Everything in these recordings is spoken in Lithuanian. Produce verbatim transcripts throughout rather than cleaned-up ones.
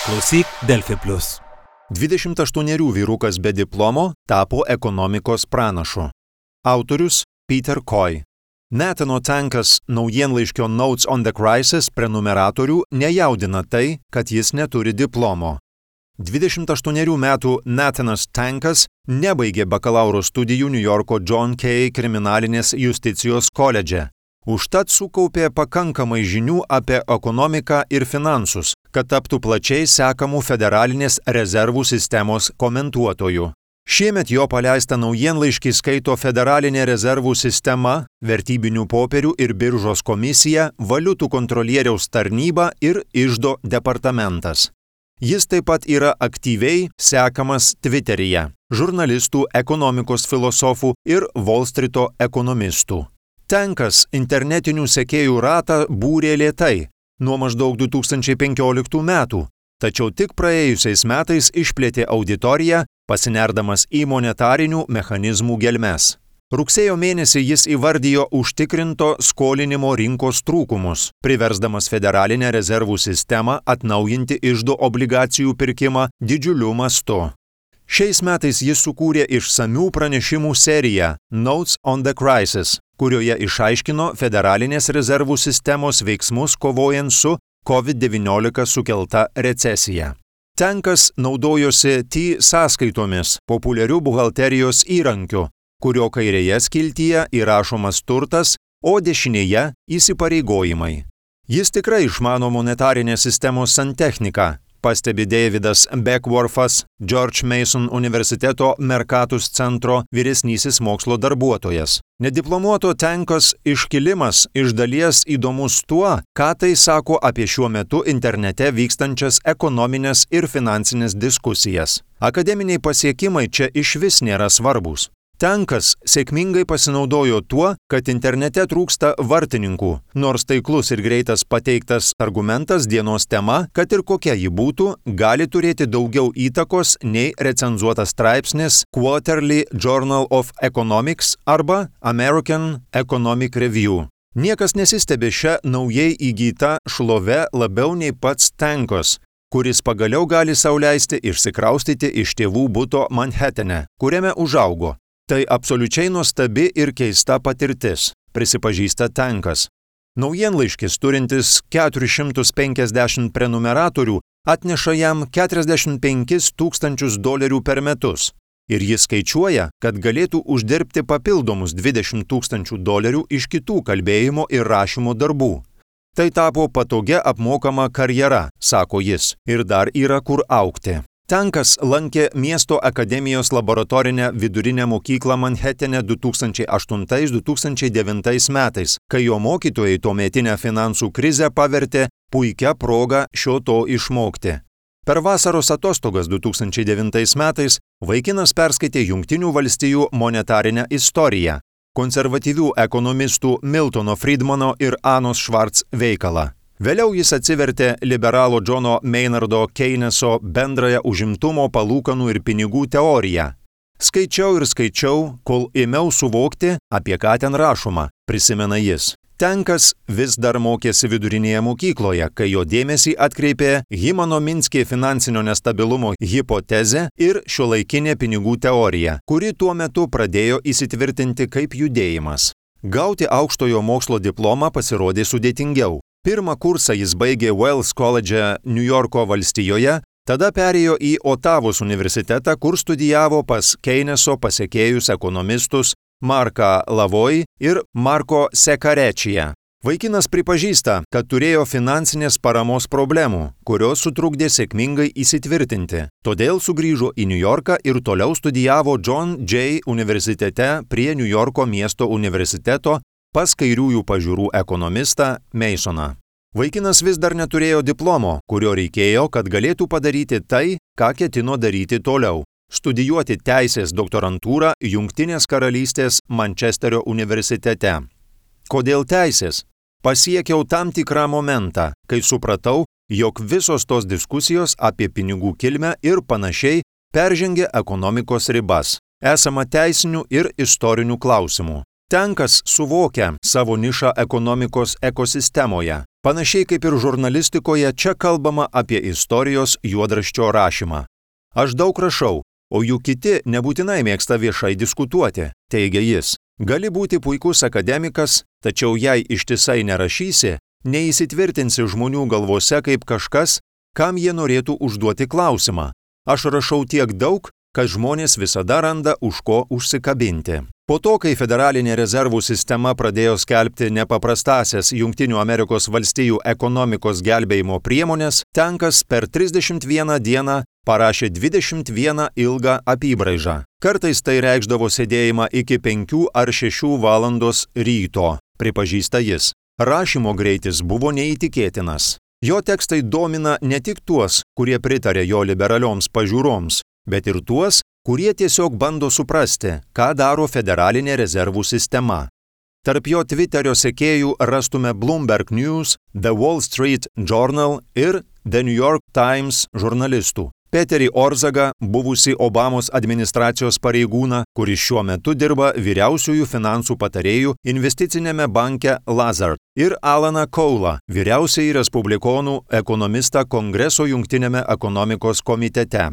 Klausyk Delfi plius. dvidešimt aštuonerių vyrukas be diplomo tapo ekonomikos pranašu. Autorius Peter Coy. Nathano Tankas naujienlaiškio Notes on the Crisis prenumeratorių nejaudina tai, kad jis neturi diplomo. dvidešimt aštuonerių metų Nathanas Tankas nebaigė bakalauro studijų Niujorko John Kay kriminalinės justicijos koledže. Užtat sukaupė pakankamai žinių apie ekonomiką ir finansus, kad taptų plačiai sekamų federalinės rezervų sistemos komentuotojų. Šiemet jo paleistą naujienlaiškį skaito Federalinė rezervų sistema, Vertybinių popierių ir biržos komisija, Valiutų kontrolieriaus tarnyba ir Iždo departamentas. Jis taip pat yra aktyviai sekamas Twitteryje, žurnalistų, ekonomikos filosofų ir Wall Streeto ekonomistų. Tankas internetinių sekėjų ratą būrė lėtai, nuo maždaug du tūkstančiai penkioliktų metų, tačiau tik praėjusiais metais išplėtė auditoriją, pasinerdamas į monetarinių mechanizmų gelmes. Rugsėjo mėnesį jis įvardijo užtikrinto skolinimo rinkos trūkumus, priversdamas Federalinę rezervų sistemą atnaujinti iždo obligacijų pirkimą didžiuliu mastu. Šiais metais jis sukūrė išsamių pranešimų seriją Notes on the Crisis, kurioje išaiškino Federalinės rezervų sistemos veiksmus kovojant su COVID devyniolika sukelta recesija. Tankas naudojosi T sąskaitomis, populiarių buhalterijos įrankiu, kurio kairėje skiltyje įrašomas turtas, o dešinėje įsipareigojimai. Jis tikrai išmano monetarinės sistemos santechniką, pastebi Davidas Beckworthas, George Mason universiteto Mercatus centro vyresnysis mokslo darbuotojas. Nediplomuoto Tankos iškilimas iš dalies įdomus tuo, ką tai sako apie šiuo metu internete vykstančias ekonominės ir finansinės diskusijas. Akademiniai pasiekimai čia išvis nėra svarbus. Tankas sėkmingai pasinaudojo tuo, kad internete trūksta vartininkų, nors taiklus ir greitas pateiktas argumentas dienos tema, kad ir kokia ji būtų, gali turėti daugiau įtakos nei recenzuotas straipsnis Quarterly Journal of Economics arba American Economic Review. Niekas nesistebi šią naujai įgytą šlovę labiau nei pats Tankos, kuris pagaliau gali sau leisti išsikraustyti iš tėvų buto Manhatane, kuriame užaugo. Tai absoliučiai nuostabi ir keista patirtis, prisipažįsta Tankas. Naujienlaiškis turintis keturis šimtus penkiasdešimt prenumeratorių atneša jam keturiasdešimt penkis tūkstančius dolerių per metus. Ir jis skaičiuoja, kad galėtų uždirbti papildomus dvidešimt tūkstančių dolerių iš kitų kalbėjimo ir rašymo darbų. Tai tapo patogia apmokama karjera, sako jis, ir dar yra kur augti. Tankas lankė miesto akademijos laboratorinę vidurinę mokyklą Manhatane du tūkstančiai aštuntais - du tūkstančiai devintais metais, kai jo mokytojai tuometinę finansų krizę pavertė puikia proga šio to išmokti. Per vasaros atostogas du tūkstančiai devintais metais vaikinas perskaitė Jungtinių valstijų monetarinę istoriją, konservatyvių ekonomistų Miltono Friedmano ir Anos Schwartz veikalą. Vėliau jis atsivertė liberalo Johno Maynardo Keyneso bendrąją užimtumo, palūkanų ir pinigų teoriją. Skaičiau ir skaičiau, kol ėmiau suvokti, apie ką ten rašoma, prisimena jis. Tankas vis dar mokėsi vidurinėje mokykloje, kai jo dėmesį atkreipė Himano Minskė finansinio nestabilumo hipotezė ir šiuolaikinė pinigų teorija, kuri tuo metu pradėjo įsitvirtinti kaip judėjimas. Gauti aukštojo mokslo diplomą pasirodė sudėtingiau. Pirmą kursą jis baigė Wells College Niujorko valstijoje, tada perėjo į Otavos universitetą, kur studijavo pas Keyneso pasekėjus ekonomistus Marką Lavoj ir Marko Sekarečiją. Vaikinas pripažįsta, kad turėjo finansinės paramos problemų, kurios sutrukdė sėkmingai įsitvirtinti. Todėl sugrįžo į Niujorką ir toliau studijavo John Jay universitete prie Niujorko miesto universiteto pas kairiųjų pažiūrų ekonomistą Masoną. Vaikinas vis dar neturėjo diplomo, kurio reikėjo, kad galėtų padaryti tai, ką ketino daryti toliau – studijuoti teisės doktorantūrą Jungtinės karalystės Mančesterio universitete. Kodėl teisės? Pasiekiau tam tikrą momentą, kai supratau, jog visos tos diskusijos apie pinigų kilmę ir panašiai peržengė ekonomikos ribas. Esama teisinių ir istorinių klausimų. Tenkas suvokia savo nišą ekonomikos ekosistemoje. Panašiai kaip ir žurnalistikoje, čia kalbama apie istorijos juodraščio rašymą. Aš daug rašau, o juk kiti nebūtinai mėgsta viešai diskutuoti, teigia jis. Gali būti puikus akademikas, tačiau jei ištisai nerašysi, neįsitvirtinsi žmonių galvose kaip kažkas, kam jie norėtų užduoti klausimą. Aš rašau tiek daug, kad žmonės visada randa už ko užsikabinti. Po to, kai Federalinė rezervų sistema pradėjo skelbti nepaprastąsias Jungtinių Amerikos valstijų ekonomikos gelbėjimo priemonės, Tenkas per trisdešimt vieną dieną parašė dvidešimt vieną ilgą apybraižą. Kartais tai reikšdavo sėdėjimą iki penkių ar šešių valandos ryto, pripažįsta jis. Rašymo greitis buvo neįtikėtinas. Jo tekstai domina ne tik tuos, kurie pritarė jo liberalioms pažiūroms, bet ir tuos, kurie tiesiog bando suprasti, ką daro Federalinė rezervų sistema. Tarp jo Twitterio sekėjų rastume Bloomberg News, The Wall Street Journal ir The New York Times žurnalistų. Peterį Orzagą, buvusį Obamos administracijos pareigūną, kuris šiuo metu dirba vyriausiųjų finansų patarėjų investicinėme banke Lazard, ir Alaną Koulą, vyriausiąjį respublikonų ekonomistą Kongreso jungtinėme ekonomikos komitete.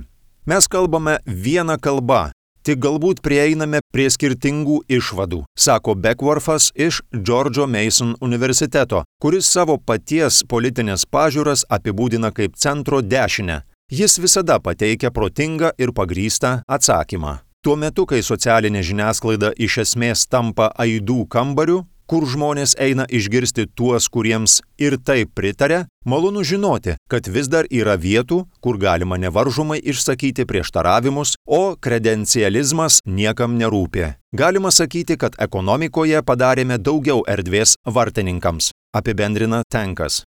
Mes kalbame vieną kalbą, tik galbūt prieiname prie skirtingų išvadų, sako Beckworthas iš George Mason universiteto, kuris savo paties politinės pažiūras apibūdina kaip centro dešinę. Jis visada pateikia protingą ir pagrįstą atsakymą. Tuo metu, kai socialinė žiniasklaida iš esmės tampa aidų kambariu, kur žmonės eina išgirsti tuos, kuriems ir taip pritaria, malonu žinoti, kad vis dar yra vietų, kur galima nevaržomai išsakyti prieštaravimus, o kredencializmas niekam nerūpi. Galima sakyti, kad ekonomikoje padarėme daugiau erdvės vartininkams, apibendrina Tenkas.